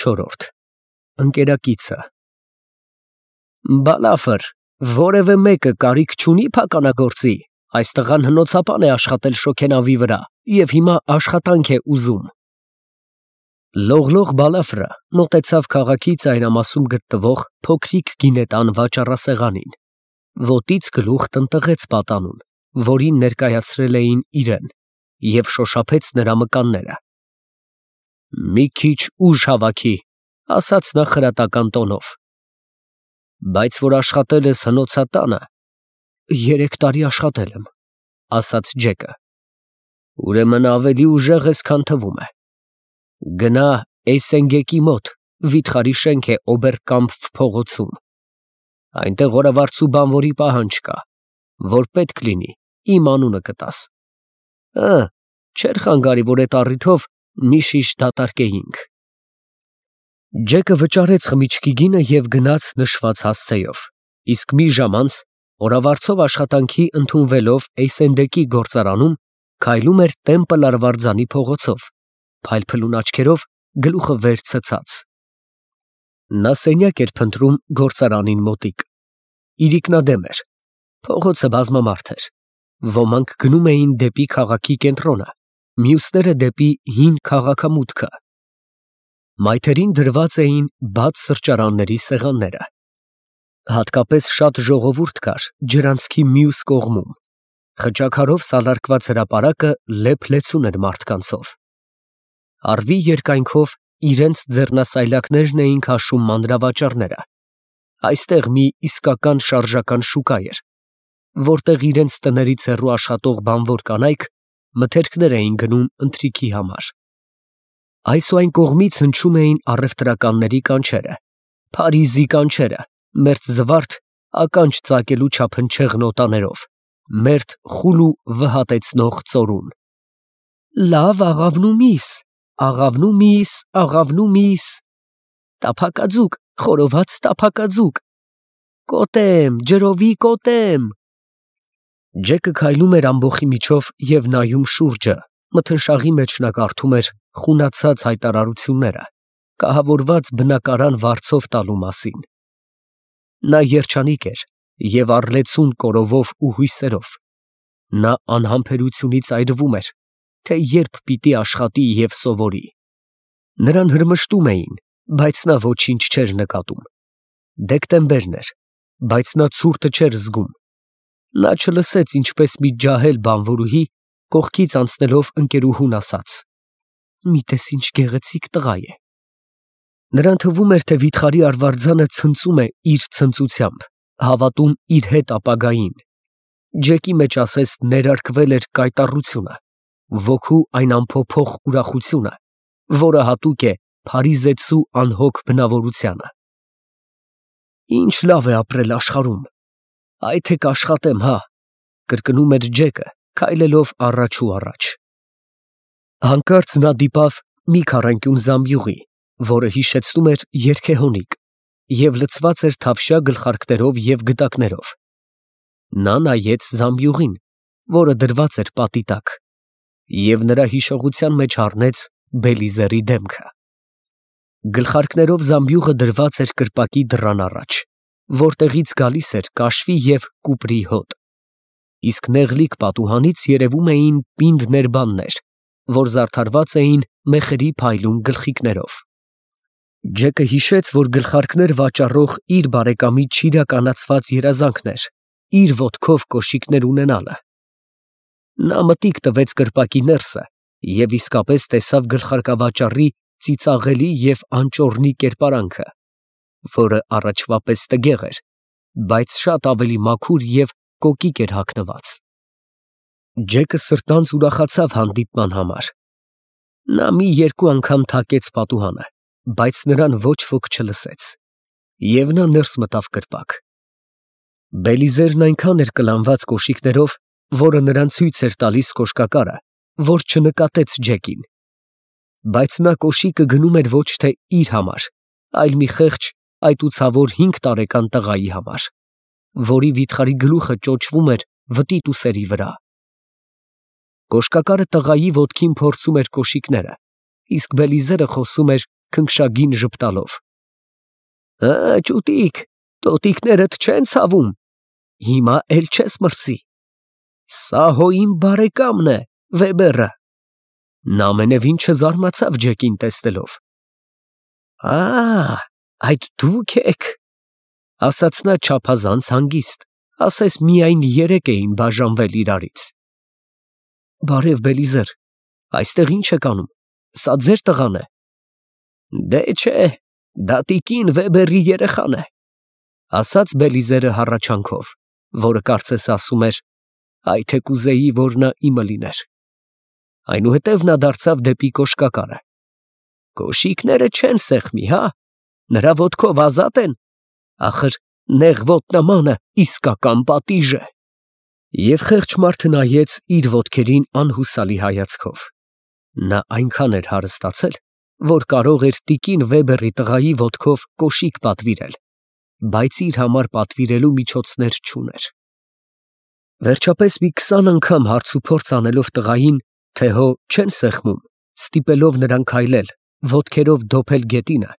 4 Ընկերակիցը Բալաֆր, որևէ մեկը կարիք չունի փականագործի, այս տղան հնոցապան է աշխատել շոգենավի վրա և հիմա աշխատանք է ուզում։ Լողլող Բալաֆրը մոտեցավ քաղաքի ծայրամասում գտնվող փոքրիկ գինետան վաճառասեղանին, ոտից գլուխ տնտղեց պատանուն, որին ներկայացրել էին իրեն, և շոշափեց նրա մկանները։ Մի քիչ ուժ հավաքի, ասաց նա խրատական տոնով, բայց որ աշխատել ես հնոցատանը, 3 տարի աշխատել եմ, ասաց Ջեկը, ուրեմն ավելի ուժեղ ես, քան թվում է, գնա Էյսենգեկի մոտ, վիթխարի շենք է Օբերկամփ փողոցում, այնտեղ օրավարձու բանվորի պահանջ կա, որ պետք լինի, իմ անունը կտաս, չէր խանգարի, որ այդ առիթով մի շիշ դատարկեինք։ Ջեկը վճարեց խմիչքի գինը և գնաց նշված հասցեով, իսկ մի ժամ անց, օրավարձով աշխատանքի ընդունվելով Էյսենդեկի գործարանում, քայլում էր Տեմպլ արվարձանի փողոցով, փայլփլուն աչքերով, գլուխը վեր ցցած։ Նա սենյակ էր փնտրում գործարանին մոտիկ։ Իրիկնադեմ էր, փողոցը բազմամարդ էր, ոմանք գնում էին դեպի քաղաքի կենտրոնը, մյուսները դեպի հին քաղաքամուտքը։ Մայթերին դրված էին բաց սրճարանների սեղանները։ Հատկապես շատ ժողովուրդ կար ջրանցքի մյուս կողմում։ Խճաքարով սալարկված հրապարակը լեփ-լեցուն էր մարդկանցով։ Առվի երկայնքով իրենց ձեռնասայլակներն էին քաշում մանրավաճառները։ Այստեղ մի իսկական շարժական շուկա էր, որտեղ իրենց տներից հեռու աշխատող բանվոր կանայք մթերքներ էին գնում ընթրիքի համար։ Այս ու այն կողմից հնչում էին առևտրականների կանչերը, Փարիզի կանչերը, մերձզվարթ ականջ ծակելու չափնչեղ նոտաներով, մերթ խուլ ու վհատեցնող ծորուն։ Լավ աղավնումիս, աղավնումիս, աղավնումիս, տափակաձուկ, խորոված տափակաձուկ, կոտեմ, ջրովի կոտեմ։ Ջեկը քայլում էր ամբոխի միջով և նայում շուրջը, մթնշաղի մեջ նա կարդում էր խունացած հայտարարությունները, կահավորված բնակարան վարձով տալու մասին։ Նա երջանիկ էր և առլեցուն կորովով ու հույսերով։ Նա անհամբերությունից այրվում էր, թե երբ պիտի աշխատի և սովորի։ Նրան հրմշտում էին, բայց նա ոչինչ չէր նկատում։ Դեկտեմբերն էր, բայց նա ցուրտը չէր զգում։ Նա չլսեց, ինչպես մի ջահել բանվորուհի կողքից անցնելով ընկերուհուն ասաց. «Մի տես ինչ գեղեցիկ տղա է»։ Նրան թվում էր, թե վիթխարի արվարձանը ցնծում է իր ցնծությամբ, հավատում իր հետ ապագային։ Ջեկի մեջ ասես ներարկվել էր կայտառությունը, ոգու այն անփոփոխ ուրախությունը, որը հատուկ է փարիզեցու անհոգ բնավորությանը։ Ինչ լավ է ապրել աշխարհում, այ թե կաշխատեմ, հա, կրկնում էր Ջեկը, քայլելով առաջ ու առաջ։ Հանկարծ նա դիպավ մի քառանկյուն զամբյուղի, որը հիշեցնում էր երգեհոնիկ և լցված էր թավշյա գլխարկներով և գդակներով։ Նա նայեց զամբյուղին, որը դրված էր պատի տակ, և նրա հիշողության մեջ առնեց Բելիզերի դեմքը։ Գլխարկներով զամբյուղը դրված էր կրպակի դռան առաջ, որտեղից գալիս էր կաշվի և կուպրի հոտ, իսկ նեղլիկ պատուհանից երևում էին պինդ ներբաններ, որ զարդարված էին մեխերի փայլուն գլխիկներով։ Ջեկը հիշեց, որ գլխարկներ վաճառող իր բարեկամի չիրականացված երազանքն էր իր ոտքով կոշիկներ ունենալը։ Նա մտիկ տվեց կրպակի ներսը և իսկապես տեսավ գլխարկավաճառի ծիծաղելի և անճոռնի կերպարանքը, որը առաջվա պես տգեղ էր, բայց շատ ավելի մաքուր և կոկիկ էր հագնված։ Ջեկը սրտանց ուրախացավ հանդիպման համար։ Նա մի երկու անգամ թակեց պատուհանը, բայց նրան ոչ ոք չլսեց, և նա ներս մտավ կրպակ։ Բելիզերն այնքան էր կլանված կոշիկներով, որը նրան ցույց էր տալիս կոշկակարը, որ չնկատեց Ջեկին։ Բայց նա կոշիկը գնում էր ոչ թե իր համար, այլ մի խեղճ այտուցավոր 5 տարեկան տղայի համար, որի վիթխարի գլուխը ճոճվում էր վտիտուսերի վրա։ Կոշկակարը տղայի ոտքին փորձում էր կոշիկները, իսկ Բելիզերը խոսում էր քնքշագին ժպտալով։ Ճուտիկ, տոտիկներդ չեն ցավում, հիմա էլ չես մրսի։ Սա հո իմ բարեկամն է, Վեբերը։ Նա ամենևին չզարմացավ Ջեկին տեսնելով։ Այդ դուք եք, ասաց նա չափազանց հանգիստ, ասես միայն երեկ էին բաժանվել իրարից։ Բարև Բելիզեր, այստեղ ինչ եք անում, սա ձեր տղան է։ Դե չէ, դա տիկին Վեբերի երեխան է, ասաց Բելիզերը հառաչանքով, որը կարծես ասում էր, այ թե կուզեի, որ նա իմը լիներ։ Այնուհետև նա դարձավ դեպի կոշկակարը։ Կոշիկները չեն սեղմի, հա, նրա ոտքով ազատ են, ախր նեղ ոտնամանը իսկական պատիժ է։ Եվ խեղճ մարդը նայեց իր ոտքերին անհուսալի հայացքով։ Նա այնքան էր հարստացել, որ կարող էր տիկին Վեբերի տղայի ոտքով կոշիկ պատվիրել, բայց իր համար պատվիրելու միջոցներ չուներ։ Վերջապես մի 20 անգամ հարցուփորձ անելով տղային, թե հո չեն սեղմում, ստիպելով նրան քայլել, ոտքերով դոփել գետինը,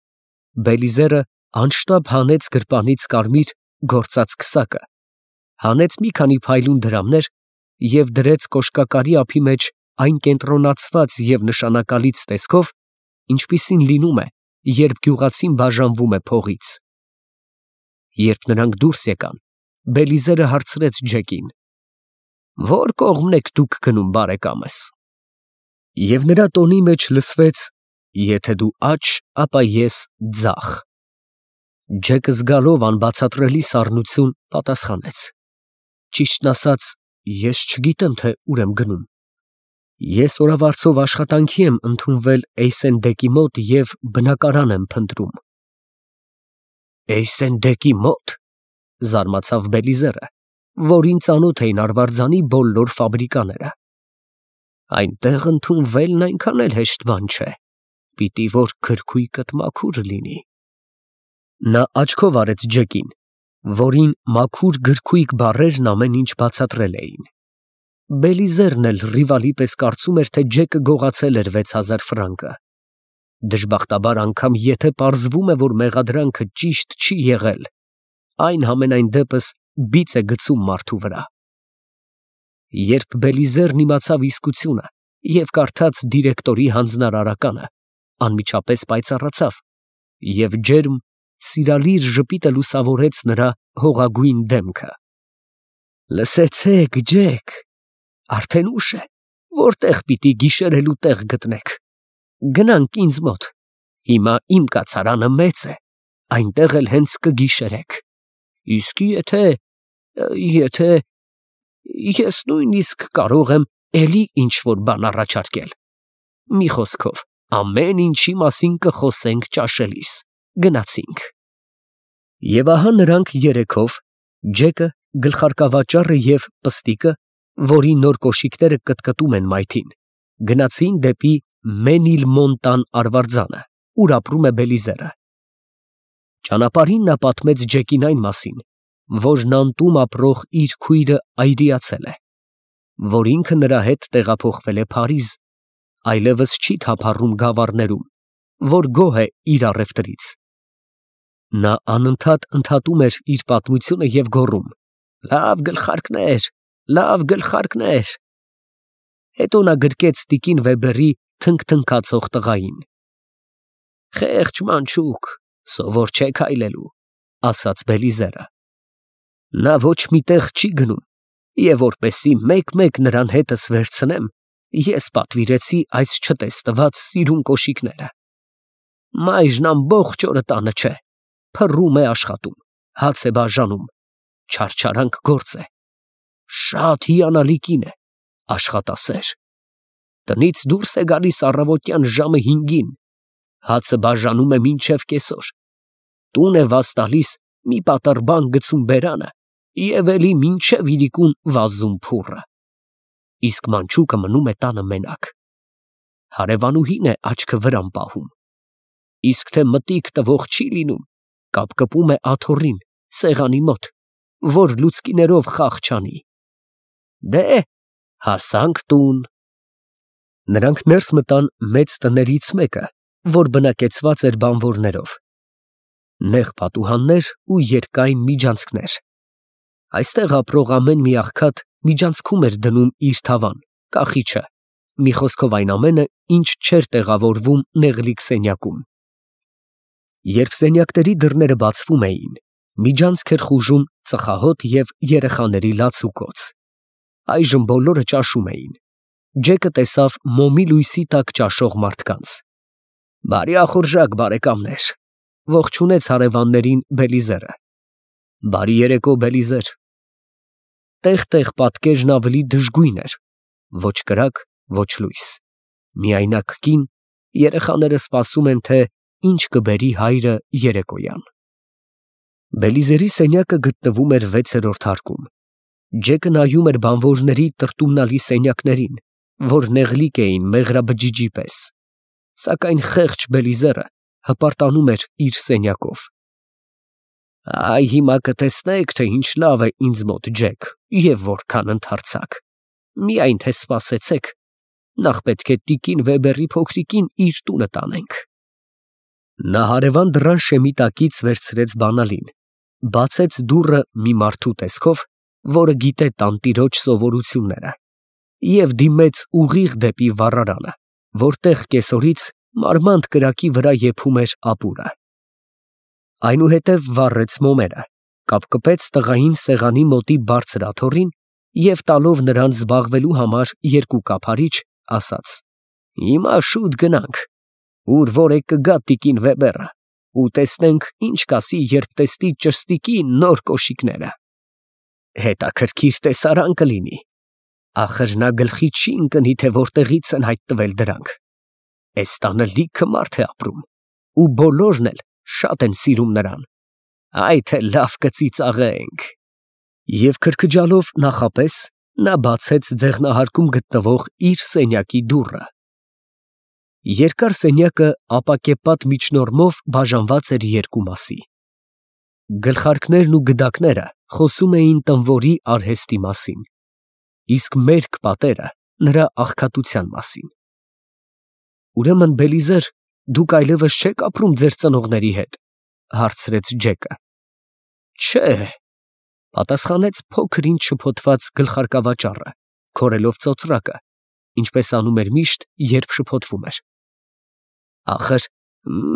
Բելիզերը անշտապ հանեց գրպանից կարմիր գործած քսակը, հանեց մի քանի փայլուն դրամներ և դրեց կոշկակարի ափի մեջ այն կենտրոնացված և նշանակալից տեսքով, ինչպիսին լինում է, երբ գյուղացին բաժանվում է փողից։ Երբ նրանք դուրս եկան, Բելիզերը հարցրեց Ջեկին. Որ կողմն եք դուք գնում, բարեկամս։ Եվ նրա տոնի մեջ լսվեց. եթե դու աջ, ապա ես ձախ։ Ջեկը զգալով անբացատրելի սառնություն պատասխանեց. Ճիշտն ասած, ես չգիտեմ, թե ուր եմ գնում։ Ես օրավարձով աշխատանքի եմ ընդունվել Էյսենդեկի մոտ և բնակարան եմ փնտրում։ Էյսենդեկի մոտ, զարմացավ Բելիզերը, որին ծանոթ էին Արվարձանի բոլոր ֆաբրիկաները։ Այնտեղ ընդունվելն այնքան էլ հեշտ բան չէ, պիտի որ գրքույկդ մաքուր լինի։ Նա աչքով արեց Ջեկին, որին մաքուր գրքույկ բառերն ամեն ինչ բացատրել էին։ Բելիզերն էլ ռիվալի պես կարծում էր, թե Ջեկը գողացել էր 6000 ֆրանկը։ Դժբախտաբար անգամ եթե պարզվում է, որ մեղադրանքը ճիշտ չի եղել, այն համենայն դեպս բիծ է գցում մարդու վրա։ Երբ Բելիզերն իմացավ իսկությունը և կարդաց դիրեկտորի հանձնարարականը, անմիջապես պայծառացավ և ջերմ, սիրալիր ժպիտը լուսավորեց նրա հողագույն դեմքը։ Լսեցեք, Ջեք, արդեն ուշ է, որտեղ պիտի գիշերելու տեղ գտնեք։ Գնանք ինձ մոտ, հիմա իմ կացարանը մեծ է, այնտեղ էլ հենց կգիշերեք։ Իսկ եթե ես նույնիսկ կարող եմ էլի ինչ-որ բան առաջարկել։ Մի խոսքով, ամեն ինչի մասին կխոսենք ճաշելիս։ Գնացինք։ Եվ ահա նրանք երեքով, Ջեկը, գլխարկավաճառը և պստիկը, որի նոր կոշիկները կտկտում են մայթին, գնացին դեպի Մենիլմոնտան արվարձանը, ուր ապրում է Բելիզերը։ Ճանապարհին նա պատմեց Ջեկին այն մասին, որ Նանտում ապրող իր քույրը այրիացել է, որ ինքը նրա հետ տեղափոխվել է Փարիզ, այլևս չի թափառում գավառներում, որ գոհ է իր առևտրից։ Նա անընդհատ ընդհատում էր իր պատմությունը և գոռում. լավ գլխարկներ, լավ գլխարկներ։ Հետո նա գրկեց տիկին Վեբերի թնգթնգացող տղային։ Խեղճ մանչուկ, սովոր չէ քայլելու, ասաց Բելիզերը։ Նա ոչ մի տեղ չի գնում, և որպեսզի մեկ-մեկ նրան հետս վերցնեմ, ես պատվիրեցի այս չտեսնված սիրուն կոշիկները։ Մայրն ամբողջ օրը տանը չէ, փռում է աշխատում, հաց է բաժանում, չարչարանք գործ է։ Շատ հիանալի կին է, աշխատասեր։ Տնից դուրս է գալիս առավոտյան ժամը 5-ին, հացը բաժանում է մինչև կեսօր, տուն է վազ տալիս մի պատառ բան գցում բերանը և էլի մինչև իրիկուն վազում փուռը։ Իսկ մանչուկը մնում է տանը մենակ։ Հարևանուհին է աչքը վրան պահում։ Իսկ թե մտիկ տվող չի լինում, կապկպում է աթոռին, սեղանի մոտ, որ լուցկիներով խաղ չանի։ Դե, հասանք տուն։ Նրանք ներս մտան մեծ տներից մեկը, որ բնակեցված էր բանվորներով։ Նեղ պատուհաններ ու երկայն միջանցքներ։ Այստեղ ապրող ամեն մի աղքատ միջանցքում էր դնում իր թավան, կախիչը, մի խոսքով այն ամենը, ինչ չէր տեղավորվում նեղլիկ սենյակում։ Երբ սենյակների դռները բացվում էին, միջանցք էր խուժում ծխահոտ և երեխաների լացուկոց։ Այժմ բոլորը ճաշում էին։ Ջեկը տեսավ մոմի լույսի տակ ճաշող մարդկանց։ «Բարի ախորժակ, բարեկամներ», ողջունեց հարևաններին Բելիզերը։ «Բարի երեկո, Բելիզեր»։ Տեղ-տեղ պատկերն ավելի դժգույն էր, ոչ կրակ, ոչ լույս, միայնակ կին, երեխաները սպասում են, թե ինչ կբերի հայրը երեկոյան։ Բելիզերի սենյակը գտնվում էր 6-րդ հարկում։ Ջեկը նայում էր բանվորների տրտումնալի սենյակներին, որ նեղլիկ էին մեղրաբջիջի պես, սակայն խեղճ Բելիզերը հպարտանում էր իր սենյակով։ «Այ հիմա կտեսնեք, թե ինչ լավ է ինձ մոտ, Ջեք, և որքան ընդարձակ։ Միայն թե սպասեցեք, նախ պետք է տիկին Վեբերի փոքրիկին իր տունը տանենք»։ Նա հարևան դռան շեմի տակից վերցրեց բանալին, բացեց դուռը մի մարդու տեսքով, որը գիտե տանտիրոջ սովորությունները, և դիմեց ուղիղ դեպի վառարանը, որտեղ կեսօրից մարմանդ կրակի վրա եփում էր ապուրը։ Այնուհետև վառեց մոմերը, կապկպեց տղային սեղանի մոտի բարձր աթոռին և տալով նրան զբաղվելու համար 2 կափարիչ, ասաց. «Հիմա շուտ գնանք, ուր որ է կգա տիկին Վեբերը, ու տեսնենք ինչ կասի, երբ տեսնի ճշտիկի նոր կոշիկները։ Հետաքրքիր տեսարան կլինի, ախր նա գլխի չի ընկնի, թե որտեղից են հայտնվել դրանք։ Էս տանը լիքը մարդ է ապրում, ու բոլորն էլ շատ են սիրում նրան, այ թե լավ կծիծաղենք»։ Եվ քրքջալով նախապես նա բացեց ձեղնահարկում գտնվող իր սենյակի դուռը։ Երկար սենյակը ապակեպատ միջնորմով բաժանված էր 2 մասի։ Գլխարկներն ու գդակները խոսում էին տանվորի արհեստի մասին, իսկ մերկ պատերը նրա աղքատության մասին։ «Ուրեմն, Բելիզեր, դուք այլևս չեք ապրում ձեր ծնողների հետ», հարցրեց Ջեկը։ «Չէ», պատասխանեց փոքր ինչ շփոթված գլխարկավաճառը, քորելով ծոծրակը, ինչպես անում էր միշտ, երբ շփոթվում էր։ «Ախր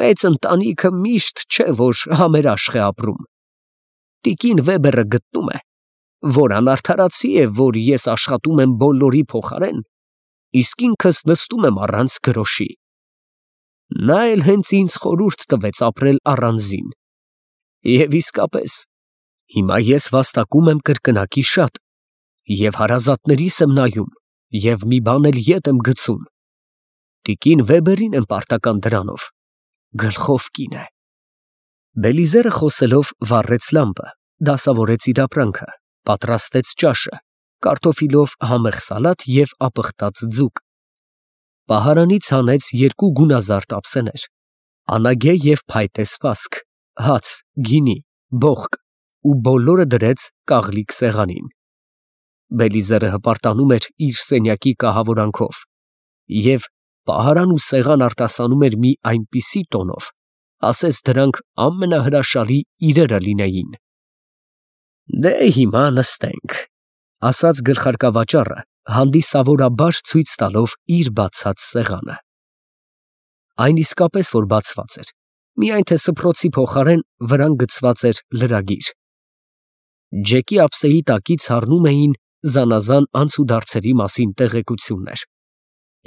մեծ ընտանիքը միշտ չէ, որ համերաշխ է ապրում։ Տիկին Վեբերը գտնում է, որ անարդարացի է, որ ես աշխատում եմ բոլորի փոխարեն, իսկ ինքս նստում եմ առանց գրոշի։ Նա էլ հենց ինձ խորհուրդ տվեց ապրել առանձին։ Եվ իսկապես, հիմա ես վաստակում եմ կրկնակի շատ, և հարազատներիս եմ նայում, և մի բան էլ ետ եմ գցում։ Տիկին Վեբերին եմ պարտական դրանով, գլխով կին է»։ Բելիզերը խոսելով վառեց լամպը, դասավորեց իր ապրանքը, պատրաստեց ճաշը, կարտոֆիլով համեղ սալատ և ապխտած ձուկ։ Պահարանից հանեց 2 գունազարդ ափսեներ, անագե և փայտե սպասք, հաց, գինի, բոխկ ու բոլորը դրեց կաղլիկ սեղանին։ Բելիզերը հպարտանում էր իր սենյակի կահավորանքով, և պահարան ու սեղան արտասանում էր մի այնպիսի տոնով, ասես դրանք ամենահրաշալի իրերը լինեին։ «Դե հիմա նստենք», ասաց գլխարկավաճառը, հանդիսավորաբար ցույց տալով իր բացած սեղանը։ Այն իսկապես որ բացված էր, միայն թե սփռոցի փոխարեն վրան գցված էր լրագիր։ Ջեկի ափսեի տակից հառնում էին զանազան անցուդարձերի մասին տեղեկություններ,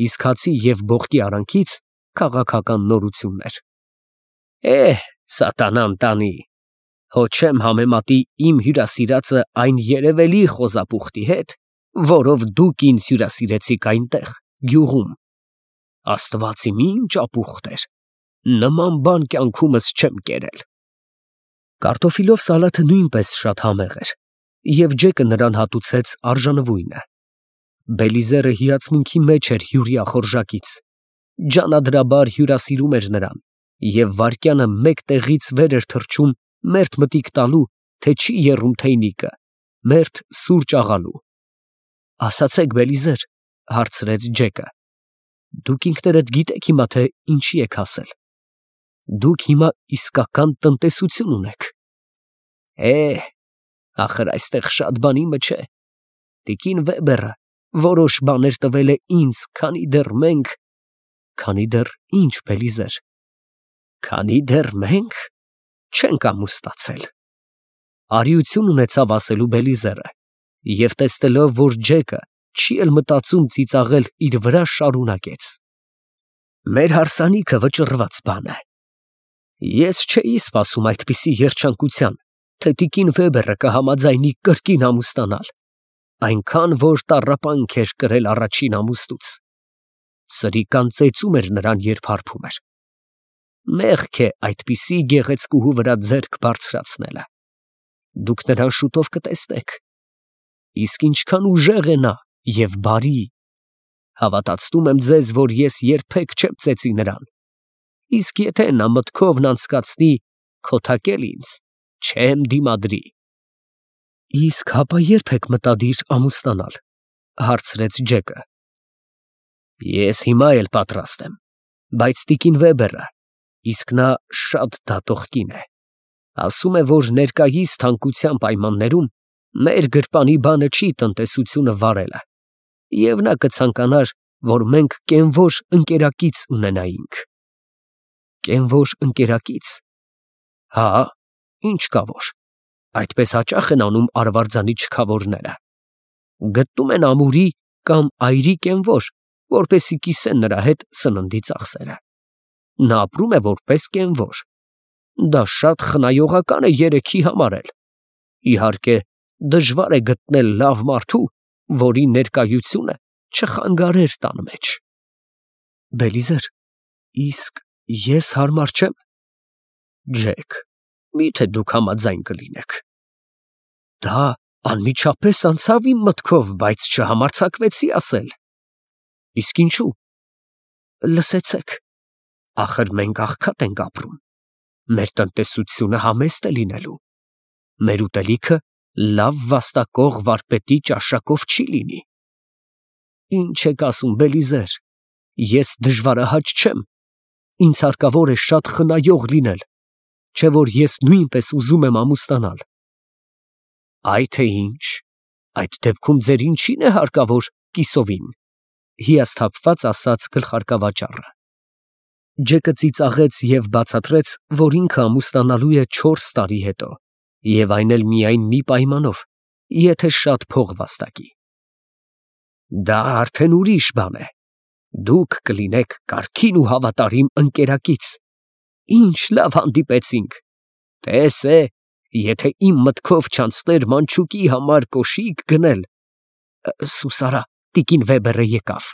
իսկ հացի և բոխկի արանքից քաղաքական նորություններ։ Սատանան տանի, հո չեմ համեմատի իմ հյուրասիրածը այն երևելի խոզապուխտի հետ, որով դուք ինձ հյուրասիրեցիք այնտեղ, գյուղում։ Աստված իմ ինչ ապուխտ էր, նման բան կյանքումս չեմ կերել։ Կարտոֆիլով սալաթը նույնպես շատ համեղ էր, և Ջեկը նրան հատուցեց արժանվույնը։ Բելիզերը հիացմունքի մեջ էր հյուրի ախորժակից, ջանադրաբար հյուրասիրում էր նրան և վայրկյանը մեկ տեղից վեր էր թռչում մերթ մտիկ տալու, թե չի եռում թեյնիկը, մերթ սուրճ աղալու։ «Ասացեք, Բելիզեր», հարցրեց Ջեկը, Դուք ինքներդ գիտեք հիմա, թե ինչի եք հասել։ Դուք հիմա իսկական տնտեսություն ունեք։ Ախր այստեղ շատ բան իմը չէ։ Տիկին Վեբերը որոշ բաներ տվել է ինձ, քանի դեռ ինչ, Բելիզեր, քանի դեռ մենք չենք ամուսնացել։ Արիություն ունեցավ ասելու Բելիզերը, և տեսնելով, որ Ջեկը չի էլ մտածում ծիծաղել իր վրա, շարունակեց. Մեր հարսանիքը վճռված բան է։ Ես չէի սպասում այդպիսի երջանկության, թե տիկին Վեբերը կհամաձայնի կրկին ամուսնանալ, այնքան որ տառապանք էր կրել առաջին ամուսնուց։ Սրիկան ծեծում էր նրան, երբ հարբում էր։ Մեղք է այդպիսի գեղեցկուհու վրա ձեռք բարձրացնելը։ Դուք նրան շուտով կտեսնեք։ Իսկ ինչքան ուժեղ է նա և բարի։ Հավատացնում եմ ձեզ, որ ես երբեք չեմ ծեծի նրան։ Իսկ եթե նա մտքովն անցկացնի քոթակել ինձ, չեմ դիմադրի։ Իսկ հապա ե՞րբ եք մտադիր ամուսնանալ, հարցրեց Ջեկը։ Ես հիմա էլ պատրաստ եմ, բայց տիկին Վեբերը, իսկ նա շատ դատող կին է, ասում է, որ ներկայիս թանկության պայմաններում մեր գրպանի բանը չի տնտեսությունը վարելը, և նա կցանկանար, որ մենք կենվոր ընկերակից ունենայինք։ Կենվոր ընկերակից։ Հա, ինչ կա որ, այդպես հաճախ են անում արվարձանի չքավորները։ Գտնում են ամուրի կամ այրի կենվոր, որպեսզի կիսեն նրա հետ սննդի ծախսերը։ Նա ապրում է որպես կենվոր։ Դա շատ խնայողական է երեքի համար էլ։ Իհարկե, դժվար է գտնել լավ մարդու, որի ներկայությունը չխանգարեր տան մեջ։ Բելիզեր, իսկ ես հարմար չեմ։ Ջեք, միթե դուք համաձայն կլինեք։ Դա անմիջապես անցավ իմ մտքով, բայց չհամարձակվեցի ասել։ Իսկ ինչու։ Լսեցեք, ախր մենք աղքատ ենք ապրում։ Մեր տնտեսությունը համեստ է լինելու։ Մեր ուտելիքը լավ վաստակող վարպետի ճաշակով չի լինի։ Ինչ եք ասում, Բելիզեր, ես դժվարահաճ չեմ։ Ինձ հարկավոր է շատ խնայող լինել, չէ որ ես նույնպես ուզում եմ ամուսնանալ։ Այ թե ինչ, այդ դեպքում ձեր ինչին է հարկավոր կիսովին, հիասթափված ասաց գլխարկավաճառը։ Ջեկը ծիծաղեց և բացատրեց, որ ինքը ամուսնանալու է 4 տարի հետո, և այն էլ միայն մի պայմանով, եթե շատ փող վաստակի։ Դա արդեն ուրիշ բան է։ Դուք կլինեք կարգին ու հավատարիմ ընկերակից։ Ինչ լավ հանդիպեցինք։ Տես է, եթե իմ մտքով չանցներ մանչուկի համար կոշիկ գնել։ Սուսարա, տիկին Վեբերը եկավ։